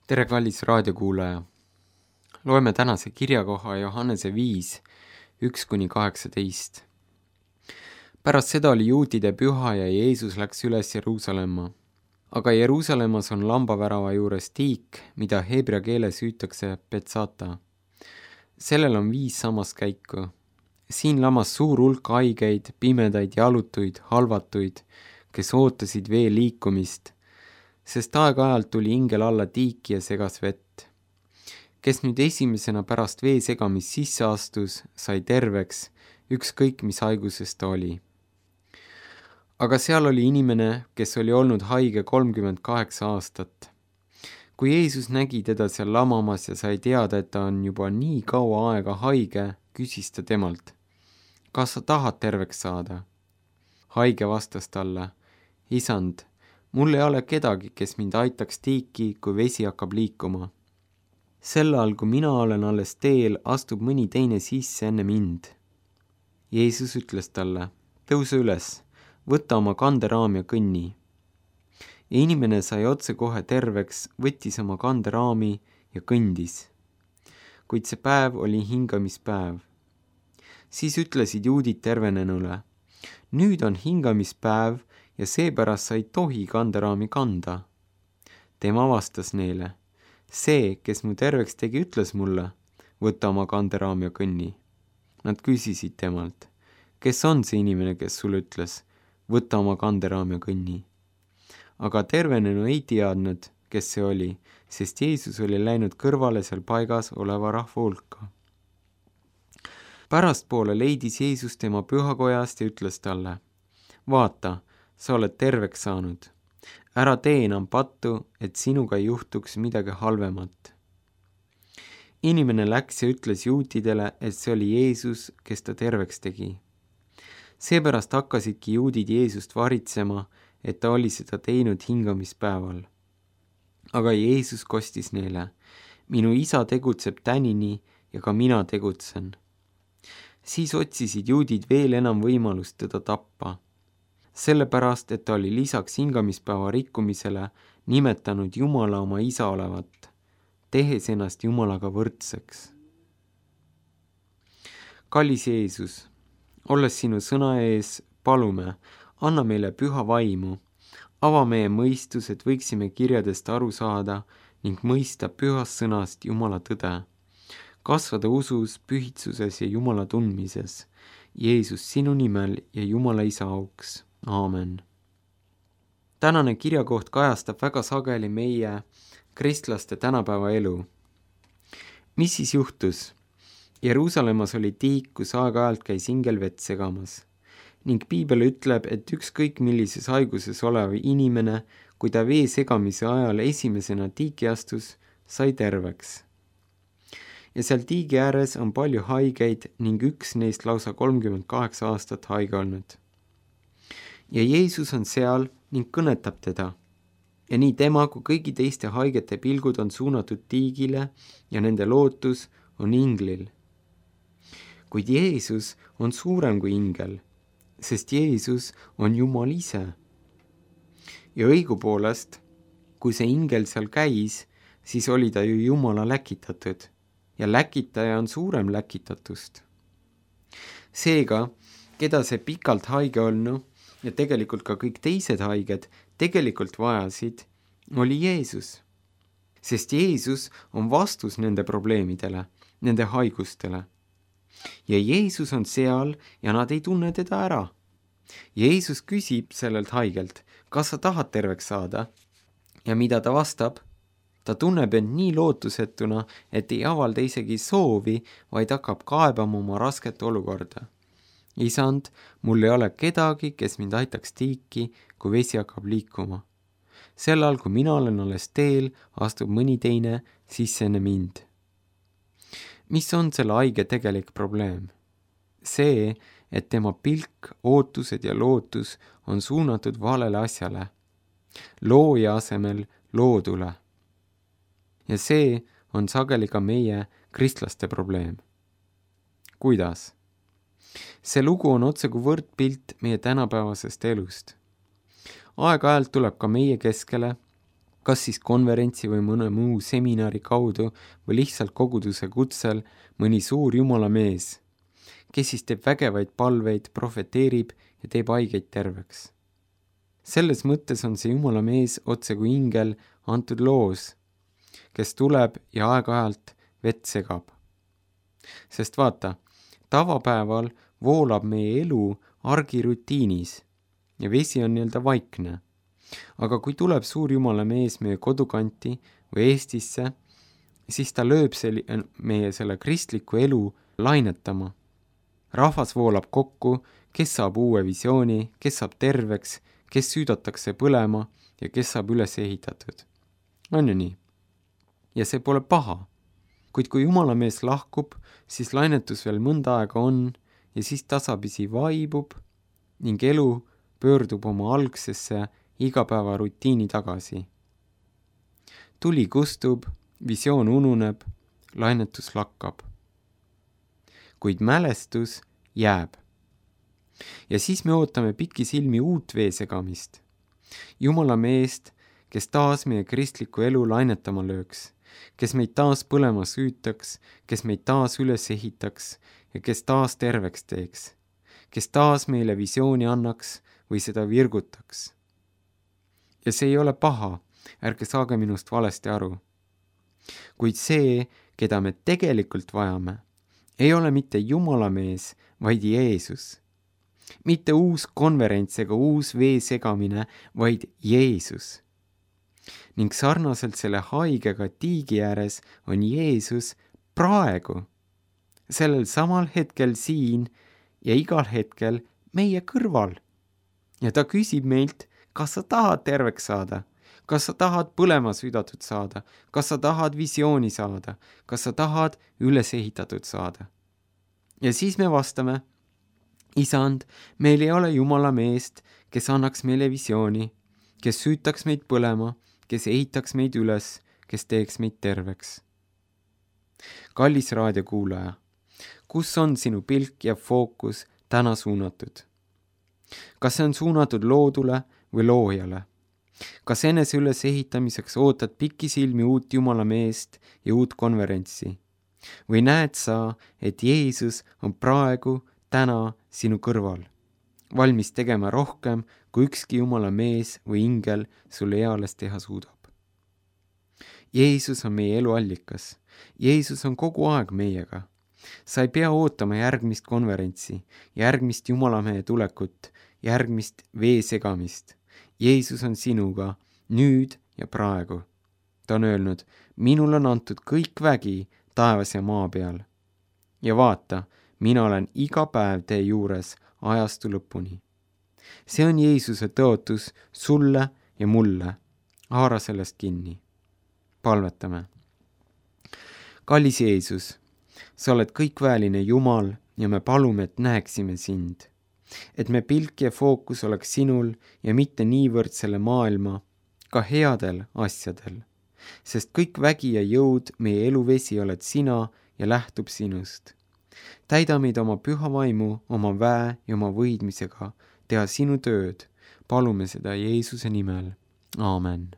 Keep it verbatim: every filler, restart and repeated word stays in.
tere, kallis raadiokuulaja! Loeme tänase kirjakoha Johannese viis, üks kuni kaheksateist. Pärast seda oli juutide püha ja Jeesus läks üles Jeruusalemma. Aga Jeruusalemmas on lambavärava juures tiik, mida heebrea keeles hüütakse Betsata. Sellel on viis sammaskäiku. Siin lamas suur hulk haigeid, pimedaid, jalutuid, halvatuid, kes ootasid vee liikumist, sest aeg-ajalt tuli ingel alla tiiki ja segas vett. Kes nüüd esimesena pärast vee segamist sisse astus, sai terveks, ükskõik mis haigusest ta oli. Aga seal oli inimene, kes oli olnud haige kolmkümmend kaheksa aastat. Kui Jeesus nägi teda seal lamamas ja sai teada, et ta on juba nii kaua aega haige, küsis ta temalt, kas sa tahad terveks saada? Haige vastas talle, isand, mul ei ole kedagi, kes mind aitaks tiiki, kui vesi hakkab liikuma. Sel ajal, kui mina olen alles teel, astub mõni teine sisse enne mind. Jeesus ütles talle, tõuse üles, võta oma kanderaam ja kõnni. Ja inimene sai otse kohe terveks, võttis oma kanderaami ja kõndis. Kuid see päev oli hingamispäev. Siis ütlesid juudid tervenenule, nüüd on hingamispäev ja seepärast sa ei tohi kanderaami kanda. Tema vastas neile, see, kes mu terveks tegi, ütles mulle, võta oma kanderaam ja kõnni. Nad küsisid temalt, kes on see inimene, kes sulle ütles, võta oma kanderaam ja kõnni. Aga tervenenu ei teadnud, kes see oli, sest Jeesus oli läinud kõrvale seal paigas oleva rahva hulka. Pärastpoole leidis Jeesus tema pühakojast ja ütles talle, vaata, sa oled terveks saanud. Ära tee enam pattu, et sinuga ei juhtuks midagi halvemat. Inimene läks ja ütles juutidele, et see oli Jeesus, kes ta terveks tegi. Seepärast hakkasidki juudid Jeesust varitsema, et ta oli seda teinud hingamispäeval. Aga Jeesus kostis neile, minu isa tegutseb tänini ja ka mina tegutsen. Siis otsisid juudid veel enam võimalust teda tappa. Sellepärast, et ta oli lisaks hingamispäeva rikkumisele nimetanud Jumala oma isa olevat, tehes ennast Jumalaga võrdseks. Kallis Jeesus, olles sinu sõna ees, palume, anna meile püha vaimu, ava meie mõistus, et võiksime kirjadest aru saada ning mõista pühast sõnast Jumala tõde, kasvada usus, pühitsuses ja Jumala tundmises, Jeesus sinu nimel ja Jumala isa auks. Aamen. Tänane kirjakoht kajastab väga sageli meie kristlaste tänapäeva elu. Mis siis juhtus? Jeruusalemmas oli tiik, kus aeg-ajalt käis ingel vett segamas. Ning Piibel ütleb, et ükskõik millises haiguses olev inimene, kui ta vee segamise ajal esimesena tiiki astus, sai terveks. Ja seal tiigi ääres on palju haigeid ning üks neist lausa kolmkümmend kaheksa aastat haige olnud. Ja Jeesus on seal ning kõnetab teda. Ja nii tema kui kõigi teiste haigete pilgud on suunatud tiigile ja nende lootus on inglil. Kuid Jeesus on suurem kui ingel, sest Jeesus on Jumal ise. Ja õigupoolest, kui see ingel seal käis, siis oli ta ju Jumala läkitatud ja läkitaja on suurem läkitatust. Seega, keda see pikalt haige olnu, ja tegelikult ka kõik teised haiged tegelikult vajasid, oli Jeesus. Sest Jeesus on vastus nende probleemidele, nende haigustele. Ja Jeesus on seal ja nad ei tunne teda ära. Jeesus küsib sellelt haigelt, kas sa tahad terveks saada? Ja mida ta vastab? Ta tunneb end nii lootusetuna, et ei avalda isegi soovi, vaid hakkab kaebama oma rasket olukorda. Isand, mul ei ole kedagi, kes mind aitaks tiiki, kui vesi hakkab liikuma. Sel ajal, kui mina olen alles teel, astub mõni teine sisse enne mind. Mis on selle haige tegelik probleem? See, et tema pilk, ootused ja lootus on suunatud valele asjale, looja asemel loodule. Ja see on sageli ka meie kristlaste probleem. Kuidas? See lugu on otse kui võrdpilt meie tänapäevasest elust. Aeg-ajalt tuleb ka meie keskele, kas siis konverentsi või mõne muu seminari kaudu või lihtsalt koguduse kutsel mõni suur jumala mees, kes siis teeb vägevaid palveid, profeteerib ja teeb haigeid terveks. Selles mõttes on see jumala mees otse kui ingel antud loos, kes tuleb ja aeg-ajalt vett segab. Sest vaata, tavapäeval voolab meie elu argirutiinis ja vesi on nii-öelda vaikne. Aga kui tuleb suur jumala mees meie kodukanti või Eestisse, siis ta lööb sel- meie selle kristliku elu lainetama. Rahvas voolab kokku, kes saab uue visiooni, kes saab terveks, kes süüdatakse põlema ja kes saab üles ehitatud. On ju nii? Ja see pole paha. Kuid kui jumala mees lahkub, siis lainetus veel mõnda aega on ja siis tasapisi vaibub ning elu pöördub oma algsesse igapäeva rutiini tagasi. Tuli kustub, visioon ununeb, lainetus lakkab. Kuid mälestus jääb. Ja siis me ootame pikki silmi uut veesegamist. Jumala meest, kes taas meie kristlikku elu lainetama lööks, kes meid taas põlema süütaks, kes meid taas üles ehitaks ja kes taas terveks teeks, kes taas meile visiooni annaks või seda virgutaks. Ja see ei ole paha, ärge saage minust valesti aru. Kuid see, keda me tegelikult vajame, ei ole mitte Jumala mees, vaid Jeesus. Mitte uus konverents ega uus vee segamine, vaid Jeesus. Ning sarnaselt selle haigega tiigi ääres on Jeesus praegu, sellel samal hetkel siin ja igal hetkel meie kõrval. Ja ta küsib meilt, kas sa tahad terveks saada, kas sa tahad põlema südatud saada, kas sa tahad visiooni saada, kas sa tahad üles ehitatud saada. Ja siis me vastame, Isand, meil ei ole Jumala meest, kes annaks meile visiooni, kes süütaks meid põlema, kes ehitaks meid üles, kes teeks meid terveks. Kallis raadiokuulaja, kus on sinu pilk ja fookus täna suunatud? Kas see on suunatud loodule või loojale? Kas enese üles ehitamiseks ootad pikki silmi uut Jumala meest ja uut konverentsi? Või näed sa, et Jeesus on praegu, täna sinu kõrval, valmis tegema rohkem, kui ükski Jumala mees või ingel sulle eales teha suudab? Jeesus on meie elu allikas. Jeesus on kogu aeg meiega. Sa ei pea ootama järgmist konverentsi, järgmist Jumalamehe tulekut, järgmist vee segamist. Jeesus on sinuga nüüd ja praegu. Ta on öelnud, minul on antud kõik vägi taevas ja maa peal. Ja vaata, mina olen iga päev tee juures ajastu lõpuni. See on Jeesuse tõotus sulle ja mulle. Haara sellest kinni. Palvetame. Kallis Jeesus, sa oled kõikväeline Jumal ja me palume, et näeksime sind. Et me pilk ja fookus oleks sinul ja mitte niivõrd selle maailma, ka headel asjadel. Sest kõik vägi ja jõud, meie eluvesi oled sina ja lähtub sinust. Täida meid oma püha vaimu, oma väe ja oma võidmisega, teha sinu tööd. Palume seda Jeesuse nimel. Aamen.